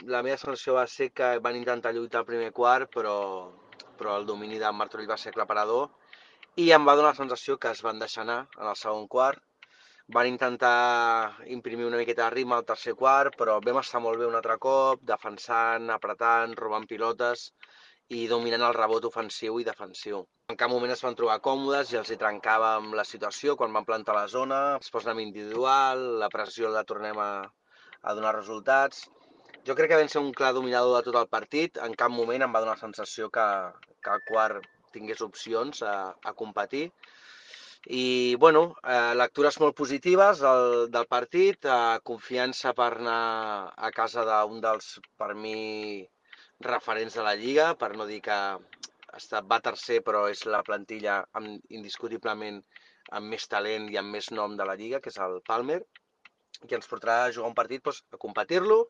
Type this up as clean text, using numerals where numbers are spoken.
la meva sensació va ser que van intentar lluitar al primer quart, però el domini de Martorell va ser aclaparador i em va donar la sensació que es van deixar anar en el segon quart. Van intentar imprimir una miqueta de ritme al tercer quart, però vam estar molt bé un altre cop, defensant, apretant, robant pilotes i dominant el rebot ofensiu i defensiu. En cap moment es van trobar còmodes i els hi trencàvem la situació quan van plantar la zona, es posen individual, la pressió la tornem a donar resultats. Jo crec que vam ser un clar dominador de tot el partit, en cap moment em va donar la sensació que el quart tingués opcions a competir. I, bueno, lectures molt positives del partit, confiança per anar a casa d'un dels, per mi, referents de la Lliga, per no dir que va tercer, però és la plantilla indiscutiblement amb més talent i amb més nom de la Lliga, que és el Palmer, que ens portarà a jugar un partit, doncs, a competir-lo